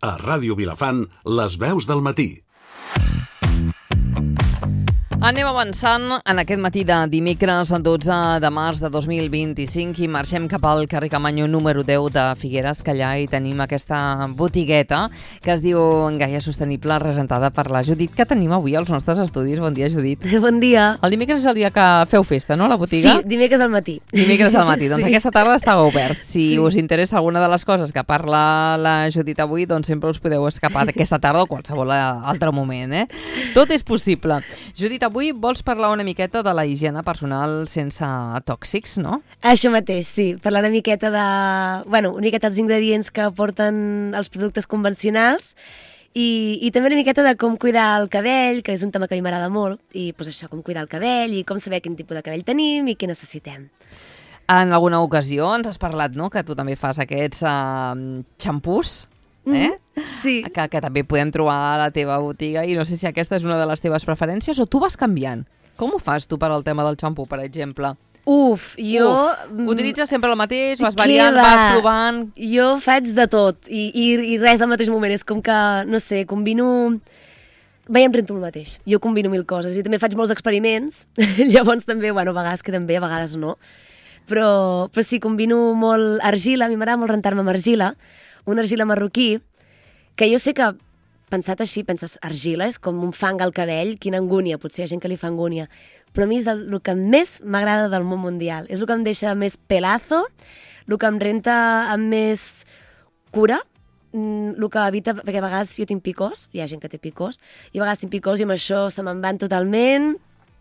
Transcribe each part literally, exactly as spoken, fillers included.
A Ràdio Vilafant, les veus del matí. Anem avançant en aquest matí de dimecres dotze de març de dos mil vint-i-cinc i marxem cap al carrer Camanyo número deu de Figueres, que allà hi tenim aquesta botigueta que es diu Gaia Sostenible, representada per la Judit, que tenim avui als nostres estudis. Bon dia, Judit. Bon dia. El dimecres és el dia que feu festa, no, a la botiga? Sí, dimecres al matí. Dimecres al matí. Doncs sí. Aquesta tarda està obert. Si sí. us interessa alguna de les coses que parla la Judit avui, doncs sempre us podeu escapar d'aquesta tarda o qualsevol altre moment, eh? Tot és possible. Judit, avui vols parlar una miqueta de la higiene personal sense tòxics, no? Això mateix, sí. Parlar una miqueta de... Bueno, una miqueta dels ingredients que aporten els productes convencionals i, i també una miqueta de com cuidar el cabell, que és un tema que a mi m'agrada molt, i doncs això, com cuidar el cabell i com saber quin tipus de cabell tenim i què necessitem. En alguna ocasió ens has parlat, no?, que tu també fas aquests uh, xampús, eh? Sí. Que, que també podem trobar a la teva botiga i no sé si aquesta és una de les teves preferències o tu vas canviant. Com ho fas tu per al tema del xampú, per exemple? Uf, jo... Uf, utilitzes sempre el mateix, vas variant, va? vas provant... Jo faig de tot i, i, i res al mateix moment. És com que, no sé, combino... Vaig em rento el mateix. Jo combino mil coses i també faig molts experiments. Llavors també, bueno, a vegades queden bé, a vegades no. Però, però sí, combino molt argila. A mi m'agrada molt rentar-me amb argila. Una argila marroquí, que jo sé que, pensat així, penses, argila és com un fang al cabell, quina angúnia, potser hi ha gent que li fa angúnia, però a mi és el, el que més m'agrada del món mundial, és el que em deixa més pelazo, el que em renta amb més cura, el que evita, perquè a vegades jo tinc picors, hi ha gent que té picors, i a vegades tinc picors i amb això se me'n van totalment.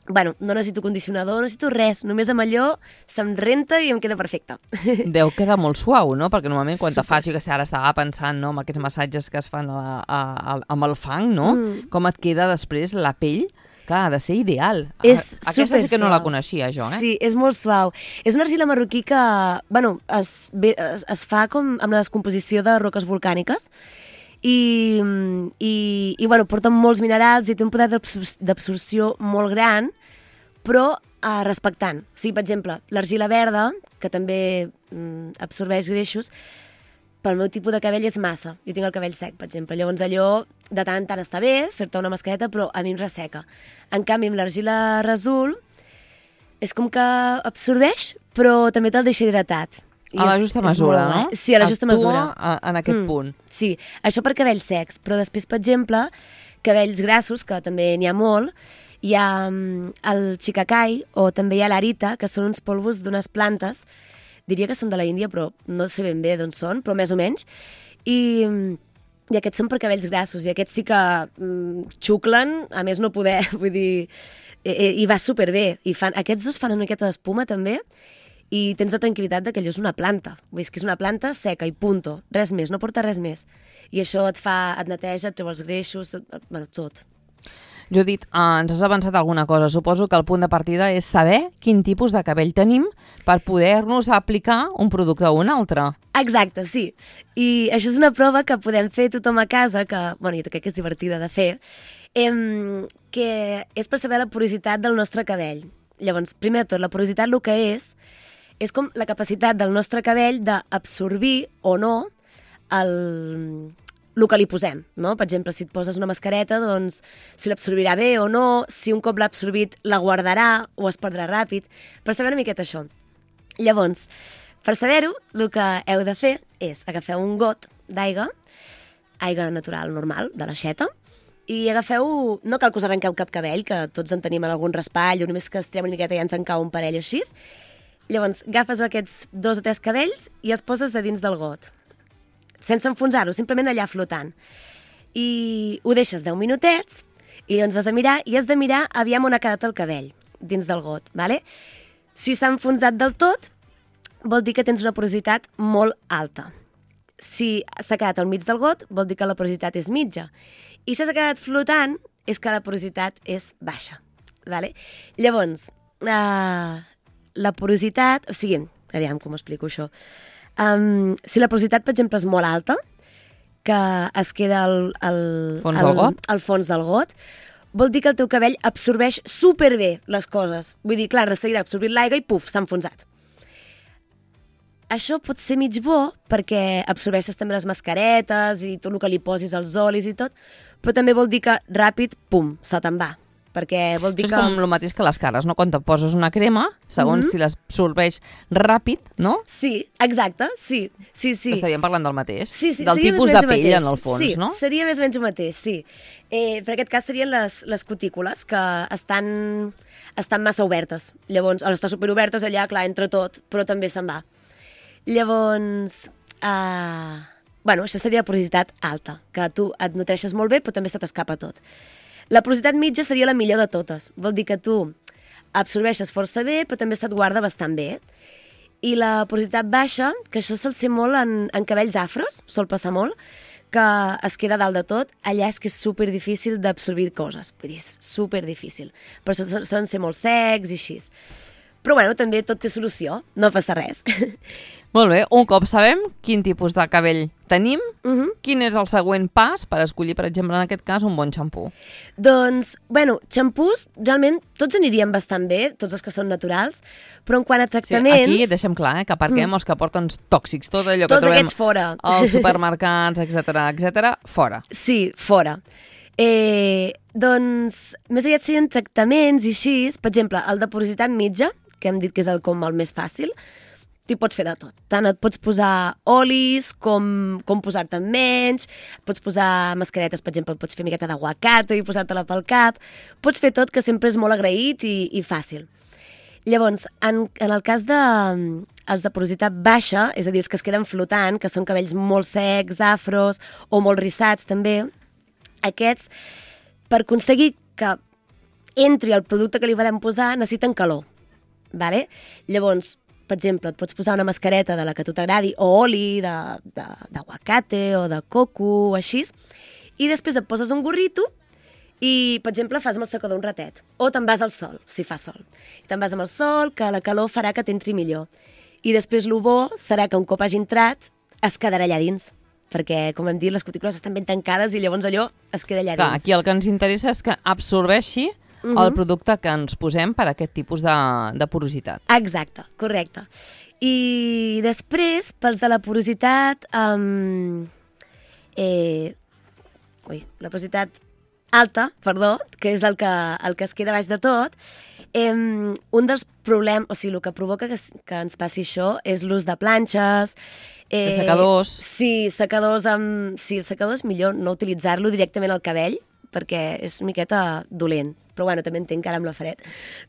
Bueno, no necessito condicionador, no necessito res, només amb allò se'm renta i em queda perfecte. Deu quedar molt suau, no? Perquè normalment quan Super. te fas, jo que sé, ara estava pensant, no?, amb aquests massatges que es fan a, a, a, amb el fang, no? Mm. Com et queda després la pell? Clar, ha de ser ideal. És Aquesta sí que no la suau. coneixia, jo, eh? Sí, és molt suau. És una argila marroquí que, bueno, es, es, es fa com amb la descomposició de roques volcàniques i, i, i bueno, porta molts minerals i té un poder d'absorció molt gran, però eh, respectant. O sigui, per exemple, l'argila verda, que també mm, absorbeix greixos, pel meu tipus de cabell és massa. Jo tinc el cabell sec, per exemple. Llavors allò de tant en tant està bé, fer-te una mascareta, però a mi em resseca. En canvi, amb l'argila resol és com que absorbeix, però també te'l deixa hidratat. I a la és, justa és mesura, molt, no? Eh? Sí, a la justa mesura. Actua en aquest mm, punt. Sí, això per cabells secs, però després, per exemple, cabells grassos, que també n'hi ha molt, hi ha um, el chicacai o també hi ha l'arita, que són uns polvos d'unes plantes, diria que són de la Índia, però no sé ben bé d'on són, però més o menys, i, i aquests són per cabells grassos, i aquests sí que um, xuclen, a més no poder, vull dir, i, i va superbé, i fan, aquests dos fan una miqueta d'espuma també, i tens la tranquil·litat de que allò és una planta, vull dir, que és una planta seca i punto, res més, no porta res més, i això et fa, et neteja, et treu els greixos, tot, bueno, tot. Judit, eh, ens has avançat alguna cosa. Suposo que el punt de partida és saber quin tipus de cabell tenim per poder-nos aplicar un producte o un altre. Exacte, sí. I això és una prova que podem fer tothom a casa, que, bueno, jo crec que és divertida de fer, eh, que és per saber la porositat del nostre cabell. Llavors, primer de tot, la porositat el que és, és com la capacitat del nostre cabell d'absorbir o no el... el que li posem, no? Per exemple, si et poses una mascareta, doncs si l'absorbirà bé o no, si un cop l'ha absorbit la guardarà o es perdrà ràpid, per saber una miqueta això. Llavors, per saber-ho, el que heu de fer és agafeu un got d'aigua, aigua natural normal, de l'aixeta, i agafeu, no cal que us arrenqueu cap cabell, que tots en tenim en algun raspall, o només que estirem una miqueta i ja ens en cau un parell així. Llavors, agafes aquests dos o tres cabells i els poses a dins del got, sense enfonsar-ho, simplement allà flotant. I ho deixes deu minutets i llavors vas a mirar i has de mirar aviam on ha quedat el cabell dins del got, ¿vale? Si s'ha enfonsat del tot, vol dir que tens una porositat molt alta. Si s'ha quedat al mig del got, vol dir que la porositat és mitja. I si s'ha quedat flotant, és que la porositat és baixa, ¿vale? Llavors, uh, la porositat... O sigui, aviam com explico això. Um, si la porositat, per exemple, és molt alta, que es queda al, al, fons al, del got? al fons del got, vol dir que el teu cabell absorbeix superbé les coses. Vull dir, clar, de seguida ha absorbit l'aigua i puf, s'ha enfonsat. això pot ser mig bo perquè absorbeixes també les mascaretes i tot el que li posis, els olis i tot, però també vol dir que ràpid, pum, se te'n va. Perquè vol dir Això és que... com el mateix que les cares, no? Quan te poses una crema, segons Mhm. si l'absorbeix ràpid, no? Sí, exacte, sí, sí, sí. Estaríem parlant del mateix. Sí, sí, del seria tipus més o de menys el pell, mateix. en el fons, sí, no? seria més o menys el mateix, sí. Eh, per aquest cas serien les, les cutícules, que estan, estan massa obertes. Llavors, al estar superobertes allà, clar, entra tot, però també se'n va. Llavors, eh, bueno, això seria porositat alta, que tu et nutreixes molt bé, però també se t'escapa tot. La porositat mitja seria la millor de totes. Vol dir que tu absorbeixes força bé, però també se't guarda bastant bé. I la porositat baixa, que això sol ser molt en, en cabells afros, sol passar molt, que es queda dalt de tot, allà és que és super difícil d'absorbir coses. Vull dir, és super difícil. Per això solen ser molt secs i així. Però bueno, també tot té solució, no passa res. Molt bé, un cop sabem quin tipus de cabell tenim, Uh -huh. quin és el següent pas per escollir, per exemple, en aquest cas, un bon xampú? Doncs, bueno, xampús, realment, tots anirien bastant bé, tots els que són naturals, però en quant a Sí, tractaments... aquí deixem clar eh, que aparquem mm. els que porten tòxics, tot allò que Tots trobem aquests fora. als supermercats, etcètera, etcètera, fora. Sí, fora. Eh, doncs, més aviat serien tractaments i així, per exemple, el de porositat mitja, que hem dit que és el com el més fàcil, t'hi pots fer de tot. Tant et pots posar olis com, com posar-te menys, pots posar mascaretes, per exemple, pots fer miqueta d'aguacate i posar-te-la pel cap, pots fer tot, que sempre és molt agraït i, i fàcil. Llavors, en, en el cas de els de porositat baixa, és a dir, els que es queden flotant, que són cabells molt secs, afros o molt rissats també, aquests, per aconseguir que entri el producte que li vam posar, necessiten calor. Vale? Llavors, per exemple, et pots posar una mascareta de la que a tu t'agradi, o oli d'aguacate o de coco o així, i després et poses un gorrito i, per exemple, fas amb el secador un ratet. O te'n vas al sol, si fa sol. I te'n vas amb el sol, que la calor farà que t'entri millor. I després el bo serà que un cop hagi entrat es quedarà allà dins, perquè, com hem dit, les cutícules estan ben tancades i llavors allò es queda allà Clar, dins. aquí el que ens interessa és que absorbeixi uh -huh. el producte que ens posem per a aquest tipus de, de porositat. Exacte, correcte. I després, pels de la porositat... Um, eh, ui, la porositat alta, perdó, que és el que, el que es queda baix de tot, eh, un dels problemes, o sigui, el que provoca que, que ens passi això és l'ús de planxes... Eh, de secadors. Sí, secadors amb... Sí, secadors millor no utilitzar-lo directament al cabell, perquè és una miqueta dolent. Però bueno, també entenc que ara amb la fred,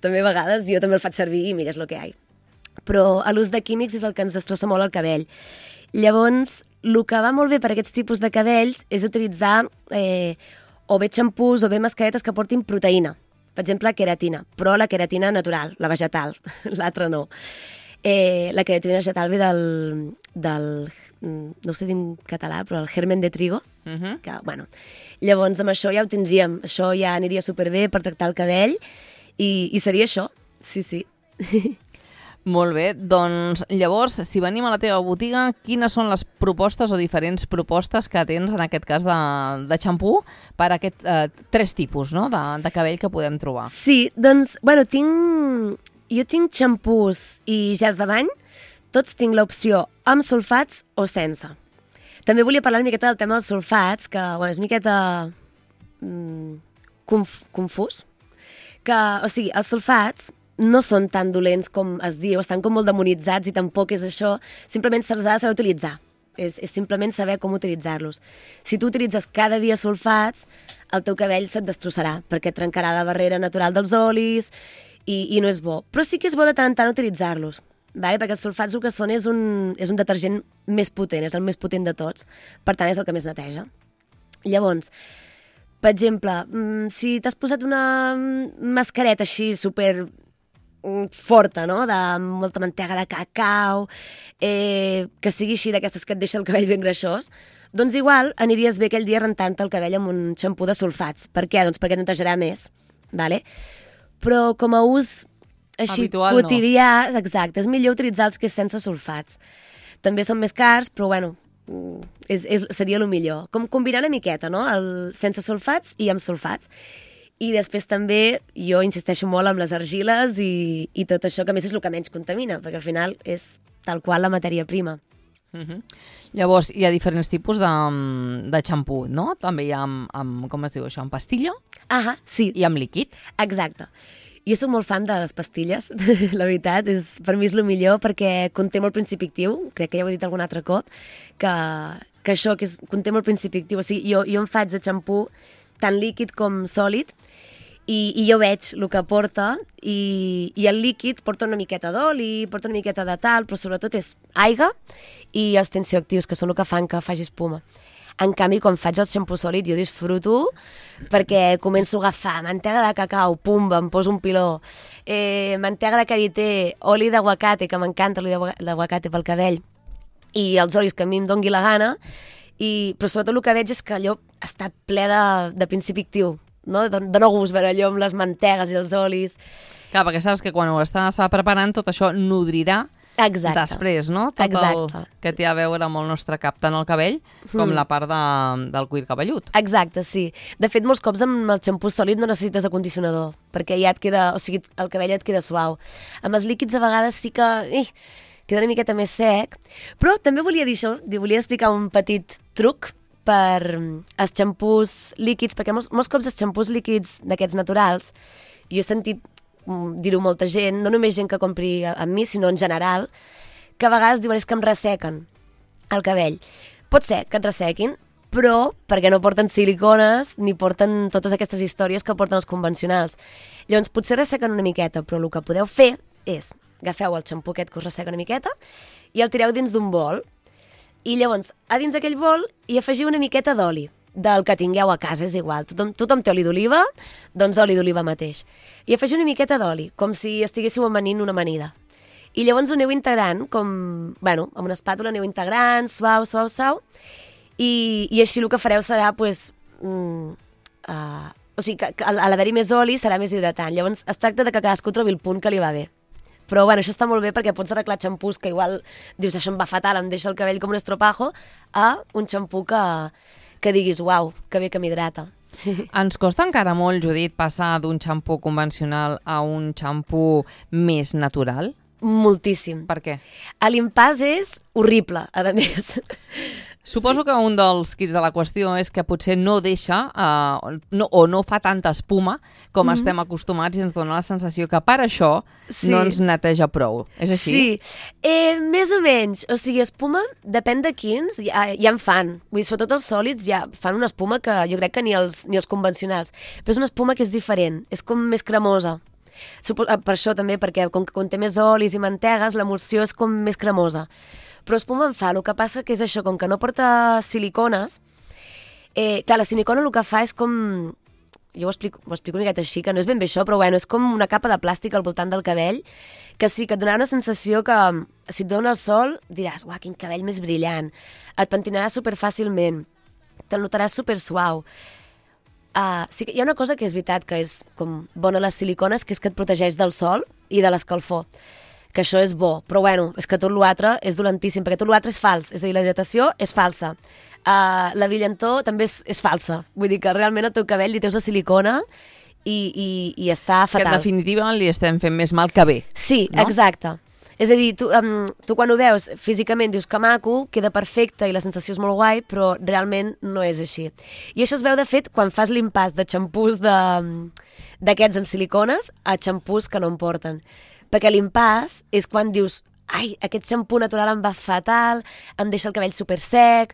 també a vegades jo també el faig servir i mira, és el que hi ha. Però l'ús de químics és el que ens destrossa molt el cabell. Llavors, el que va molt bé per a aquests tipus de cabells és utilitzar eh, o bé xampús o bé mascaretes que portin proteïna. Per exemple, queratina, però la queratina natural, la vegetal, l'altra no. Eh, la queratina vegetal ve del, del, no ho sé dir en català, però el germen de trigo, Uh -huh. que, bueno, llavors amb això ja ho tindríem, això ja aniria superbé per tractar el cabell i, i seria això, sí, sí. Molt bé, doncs llavors, si venim a la teva botiga, quines són les propostes o diferents propostes que tens en aquest cas de, de xampú per a aquest eh, tres tipus, no?, de, de cabell que podem trobar? Sí, doncs, bueno, tinc... Jo tinc xampús i gels de bany, tots tinc l'opció amb sulfats o sense. També volia parlar una miqueta del tema dels sulfats, que bueno, és una miqueta mm, conf confús. Que, o sigui, els sulfats no són tan dolents com es diu, estan com molt demonitzats i tampoc és això, simplement se'ls ha de saber utilitzar. És, és simplement saber com utilitzar-los. Si tu utilitzes cada dia sulfats, el teu cabell se't destrossarà, perquè et trencarà la barrera natural dels olis i, i no és bo. Però sí que és bo de tant en tant utilitzar-los, vale? Perquè els sulfats el que són és un, és un detergent més potent, és el més potent de tots, per tant és el que més neteja. Llavors, per exemple, si t'has posat una mascareta així super forta, no?, de molta mantega de cacau, eh, que sigui així d'aquestes que et deixa el cabell ben greixós, doncs igual aniríes bé aquell dia rentant-te el cabell amb un xampú de sulfats. Per què? Doncs perquè netejarà més, vale? Però com a ús així habitual, quotidià, no. Exacte, és millor utilitzar els que és sense sulfats. També són més cars, però bueno, és, és, seria el millor. Com combinar una miqueta, no?, el sense sulfats i amb sulfats. I després també jo insisteixo molt amb les argiles i, i tot això, que a més és el que menys contamina, perquè al final és tal qual la matèria prima. Uh-huh. Llavors, hi ha diferents tipus de, de xampú, no? També hi ha amb, amb, com es diu això, amb pastilla Ah, sí. i amb líquid. Exacte. Jo soc molt fan de les pastilles, la veritat, és, per mi és el millor perquè conté molt principi actiu, crec que ja ho he dit algun altre cop, que, que això, que és, conté molt principi actiu, o sigui, jo, jo em faig de xampú tant líquid com sòlid, I, i jo veig el que porta i, i el líquid porta una miqueta d'oli, porta una miqueta de tal, però sobretot és aigua i els tensioactius, que són el que fan que faci espuma. En canvi, quan faig el xampú sòlid, jo disfruto perquè començo a agafar mantega de cacau, pumba, em poso un piló, eh, mantega de karité, oli d'aguacate, que m'encanta l'oli d'aguacate pel cabell, i els olis que a mi em dongui la gana, i, però sobretot el que veig és que allò està ple de, de principi actiu, no? De, de no gust veure allò amb les mantegues i els olis. Clar, perquè saps que quan ho estàs preparant tot això nodrirà Exacte. després, no? Tot Exacte. el que té a veure amb el nostre cap, tant el cabell com mm. la part de, del cuir cabellut. Exacte, sí. De fet, molts cops amb el xampú sòlid no necessites acondicionador, perquè ja et queda, o sigui, el cabell et queda suau. Amb els líquids a vegades sí que eh, queda una miqueta més sec, però també volia dir això, volia explicar un petit truc per els xampús líquids, perquè molts, molts cops els xampús líquids d'aquests naturals, jo he sentit dir-ho molta gent, no només gent que compri amb mi, sinó en general, que a vegades diuen és que em ressequen el cabell. Pot ser que et ressequin, però perquè no porten silicones ni porten totes aquestes històries que porten els convencionals. Llavors, potser ressequen una miqueta, però el que podeu fer és agafeu el xampú aquest que us resseca una miqueta i el tireu dins d'un bol. I llavors, a dins d'aquell bol hi afegiu una miqueta d'oli, del que tingueu a casa, és igual. Tothom, tothom té oli d'oliva, doncs oli d'oliva mateix. I afegiu una miqueta d'oli, com si estiguéssiu amanint una amanida. I llavors ho aneu integrant, com, bueno, amb una espàtula aneu integrant, suau, suau, suau, i, i així el que fareu serà, pues, mm, uh, o sigui, que, que a l'haver-hi més oli serà més hidratant. Llavors es tracta de que cadascú trobi el punt que li va bé. Però bueno, això està molt bé perquè pots arreglar xampús que igual dius això em va fatal, em deixa el cabell com un estropajo, a un xampú que, que diguis uau, que bé que m'hidrata. Ens costa encara molt, Judit, passar d'un xampú convencional a un xampú més natural? Moltíssim. Per què? L'impàs és horrible, a més. Suposo que un dels quits de la qüestió és que potser no deixa uh, no, o no fa tanta espuma com mm-hmm. estem acostumats i ens dona la sensació que per això sí. no ens neteja prou. És així? Sí, eh, més o menys. O sigui, espuma, depèn de quins, ja, ja en fan. Vull dir, sobretot els sòlids ja fan una espuma que jo crec que ni els, ni els convencionals. Però és una espuma que és diferent, és com més cremosa. Supo- per això també, perquè com que conté més olis i mantegues, l'emulsió és com més cremosa. Però espuma en fa, el que passa que és això, com que no porta silicones, eh, clar, la silicona el que fa és com, jo ho explico, ho explico una miqueta així, que no és ben bé això, però bueno, és com una capa de plàstic al voltant del cabell, que sí, que et donarà una sensació que si et dona el sol diràs, uah, quin cabell més brillant, et pentinaràs superfàcilment, te'l notaràs super suau. Uh, sí que hi ha una cosa que és veritat que és com bona les silicones, que és que et protegeix del sol i de l'escalfor, que això és bo, però bueno, és que tot l'altre és dolentíssim, perquè tot l'altre és fals, és a dir, la hidratació és falsa, uh, la brillantor també és, és falsa, vull dir que realment al teu cabell li teus la silicona i, i, i està fatal. Que en definitiva li estem fent més mal que bé. Sí, no? Exacte. És a dir, tu, um, tu quan ho veus físicament dius que maco, queda perfecte i la sensació és molt guai, però realment no és així. I això es veu, de fet, quan fas l'impàs de xampús d'aquests amb silicones a xampús que no en porten. Perquè l'impàs és quan dius ai, aquest xampú natural em va fatal, em deixa el cabell super sec,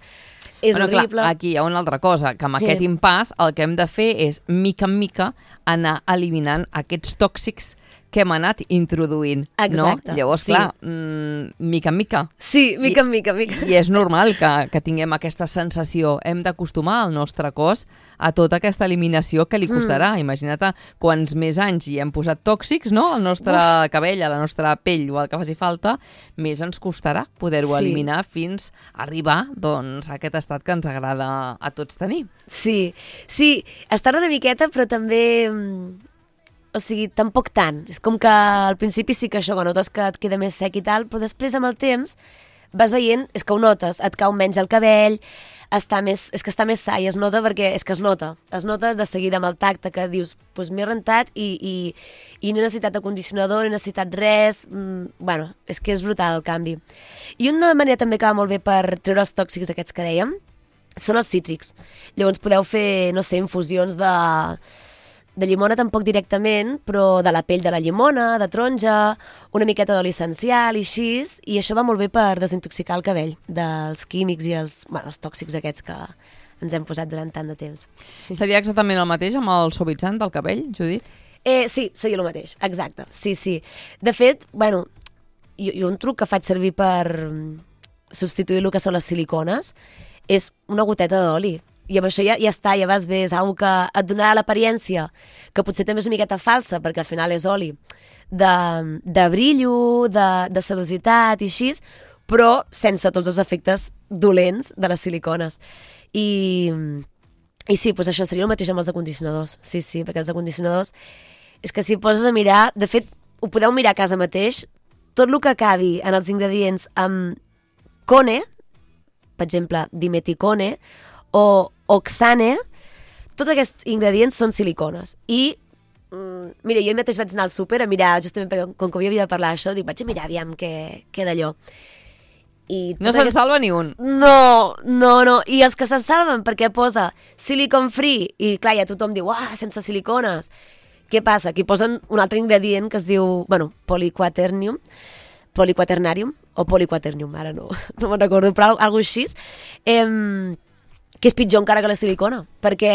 és bueno, horrible. Clar, aquí hi ha una altra cosa, que amb sí. aquest impàs el que hem de fer és, mica en mica, anar eliminant aquests tòxics que hem anat introduint. Exacte. No? Llavors, sí. clar, mm, mica en mica. Sí, mica en mica, mica. I és normal que, que tinguem aquesta sensació. Hem d'acostumar el nostre cos a tota aquesta eliminació que li costarà. Mm. Imagina't quants més anys hi hem posat tòxics, no?, al nostre Uf. cabell, a la nostra pell o el que faci falta, més ens costarà poder-ho sí. eliminar fins a arribar doncs, a aquest estat que ens agrada a tots tenir. Sí, sí, estar una miqueta, però també... O sigui, tampoc tant. És com que al principi sí que això, que notes que et queda més sec i tal, però després amb el temps vas veient, és que ho notes, et cau menys el cabell, està més, és que està més sa i es nota perquè és que es nota, es nota de seguida amb el tacte que dius, doncs m'he rentat i, i, i no he necessitat acondicionador, no he necessitat res, mm, bueno, és que és brutal el canvi. I una manera també que va molt bé per treure els tòxics aquests que dèiem són els cítrics. Llavors podeu fer, no sé, infusions de, de llimona tampoc directament, però de la pell de la llimona, de taronja, una miqueta d'oli essencial i així, i això va molt bé per desintoxicar el cabell dels químics i els, bueno, els tòxics aquests que ens hem posat durant tant de temps. Seria exactament el mateix amb el suavitzant del cabell, Judit? Eh, sí, seria el mateix, exacte, sí, sí. De fet, bueno, jo, jo un truc que faig servir per substituir el que són les silicones és una goteta d'oli. I amb això ja, ja està, ja vas bé, és una que et donarà l'apariència, que potser també és una miqueta falsa, perquè al final és oli, de, de brillo, de, de sedositat i així, però sense tots els efectes dolents de les silicones. I, i sí, doncs això seria el mateix amb els acondicionadors. Sí, sí, perquè els acondicionadors és que si poses a mirar, de fet, ho podeu mirar a casa mateix, tot el que acabi en els ingredients amb cone, per exemple, dimeticone, o oxane, tots aquests ingredients són silicones. I, mm, mira, jo mateix vaig anar al súper a mirar, justament perquè com que havia de parlar d'això, dic, vaig a mirar aviam què, què d'allò. I no se'n aquest... salva ni un. No, no, no. I els que se'n salven perquè posa silicon free, i clar, ja tothom diu, ah, sense silicones. Què passa? Aquí posen un altre ingredient que es diu, bueno, poliquaternium, poliquaternarium, o poliquaternium, ara no, no me'n recordo, però alguna cosa així. Eh, que és pitjor encara que la silicona, perquè,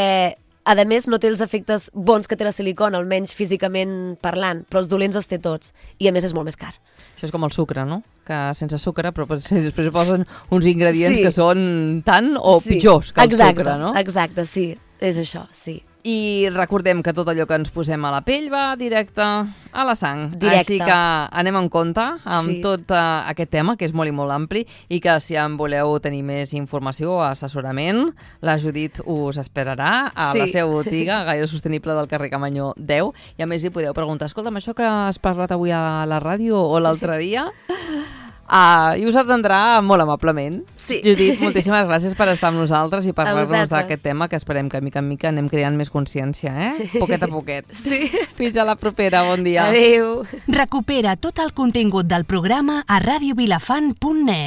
a més, no té els efectes bons que té la silicona, almenys físicament parlant, però els dolents els té tots, i a més és molt més car. Això és com el sucre, no? Que sense sucre, però després posen uns ingredients sí. que són tant o sí. pitjors que el exacte, sucre, no? Exacte, sí, és això, sí. I recordem que tot allò que ens posem a la pell va directe a la sang. Directe. Així que anem en compte amb sí. tot uh, aquest tema, que és molt i molt ampli, i que si en voleu tenir més informació o assessorament, la Judit us esperarà a sí. la seva botiga, Gaire Sostenible del carrer Camanyó deu, i a més hi podeu preguntar, escolta'm, això que has parlat avui a la ràdio o l'altre dia... Ah, i us atendrà molt amablement. Sí. Judit, moltíssimes gràcies per estar amb nosaltres i parlar-nos d'aquest tema, que esperem que mica en mica anem creant més consciència, eh? Poquet a poquet. Sí. Fins a la propera, bon dia. Adéu. Recupera tot el contingut del programa a radio vilafant punt net.